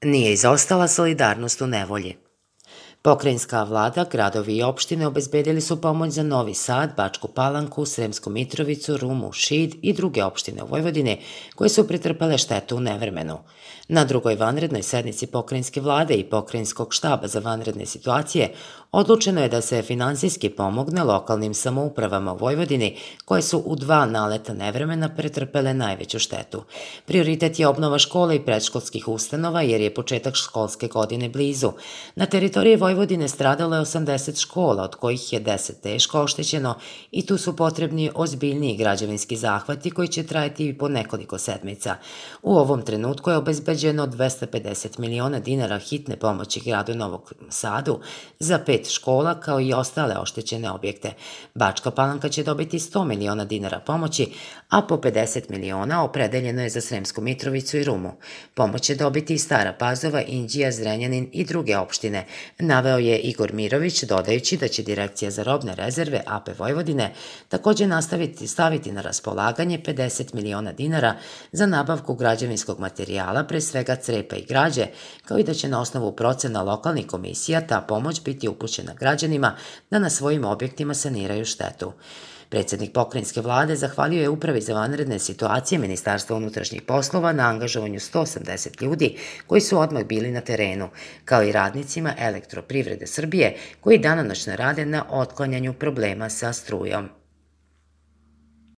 Nije izostala solidarnost u nevolji. Pokrajinska vlada, gradovi i opštine obezbedili su pomoć za Novi Sad, Bačku Palanku, Sremsku Mitrovicu, Rumu, Šid i druge opštine u Vojvodini koje su pretrpele štetu u nevremenu. Na drugoj vanrednoj sednici pokrajinske vlade i pokrajinskog štaba za vanredne situacije odlučeno je da se finansijski pomogne lokalnim samoupravama u Vojvodini koje su u 2 naleta nevremena pretrpele najveću štetu. Prioritet je obnova škola i predškolskih ustanova jer je početak školske godine blizu. Na teritoriji Vojvodine stradalo je 80 škola, od kojih je 10 teško oštećeno i tu su potrebni ozbiljniji građevinski zahvati koji će trajati i po nekoliko sedmica. U ovom trenutku je obezbeđeno 250 miliona dinara hitne pomoći gradu Novog Sadu za 5 škola kao i ostale oštećene objekte. Bačka Palanka će dobiti 100 miliona dinara pomoći, a po 50 miliona opredeljeno je za Sremsku Mitrovicu i Rumu. Pomoć će dobiti i Stara Pazova, Inđija, Zrenjanin i druge opštine, naveo je Igor Mirović, dodajući da će Direkcija za robne rezerve AP Vojvodine takođe staviti na raspolaganje 50 miliona dinara za nabavku građevinskog materijala, pre svega crepa i građe, kao i da će na osnovu procena lokalnih komisija ta pomoć biti upućena građanima da na svojim objektima saniraju štetu. Predsednik pokrajinske vlade zahvalio je Upravi za vanredne situacije Ministarstva unutrašnjih poslova na angažovanju 180 ljudi koji su odmah bili na terenu, kao i radnicima Elektroprivrede Srbije koji danonoćno rade na otklanjanju problema sa strujom.